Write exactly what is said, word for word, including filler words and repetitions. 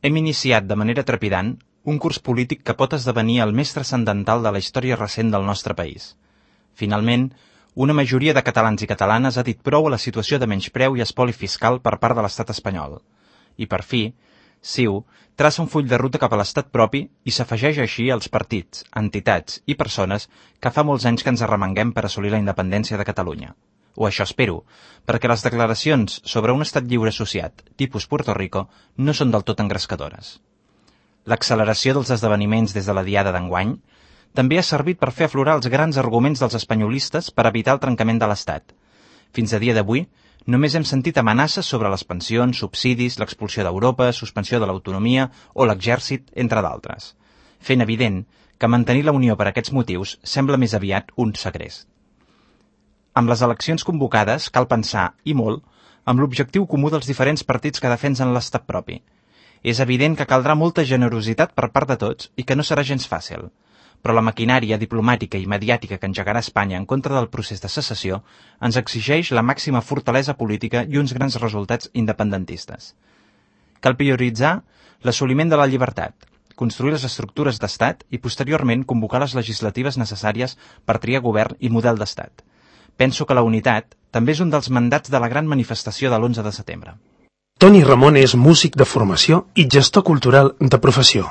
Hem iniciat de manera trepidant un curs polític que pot esdevenir el més transcendental de la història recent del nostre país. Finalment, una majoria de catalans i catalanes ha dit prou a la situació de menyspreu i espoli fiscal per part de l'estat espanyol. I per fi, CiU traça un full de ruta cap a l'estat propi i s'afegeix així als partits, entitats i persones que fa molts anys que ens arremanguem per assolir la independència de Catalunya. O això espero, perquè les declaracions sobre un estat lliure associat, tipus Puerto Rico, no són del tot engrescadores. L'acceleració dels esdeveniments des de la diada d'enguany també ha servit per fer aflorar els grans arguments dels espanyolistes per evitar el trencament de l'Estat. Fins a dia d'avui, només hem sentit amenaces sobre les pensions, subsidis, l'expulsió d'Europa, suspensió de l'autonomia o l'exèrcit, entre d'altres, fent evident que mantenir la Unió per aquests motius sembla més aviat un segrest. Amb les eleccions convocades cal pensar, i molt, amb l'objectiu comú dels diferents partits que defensen l'estat propi. És evident que caldrà molta generositat per part de tots i que no serà gens fàcil, però la maquinària diplomàtica i mediàtica que engegarà Espanya en contra del procés de secessió ens exigeix la màxima fortalesa política i uns grans resultats independentistes. Cal prioritzar l'assoliment de la llibertat, construir les estructures d'estat i posteriorment convocar les legislatives necessàries per triar govern i model d'estat. Penso que la unitat també és un dels mandats de la gran manifestació de l'onze de setembre. Toni Ramon és músic de formació i gestor cultural de professió.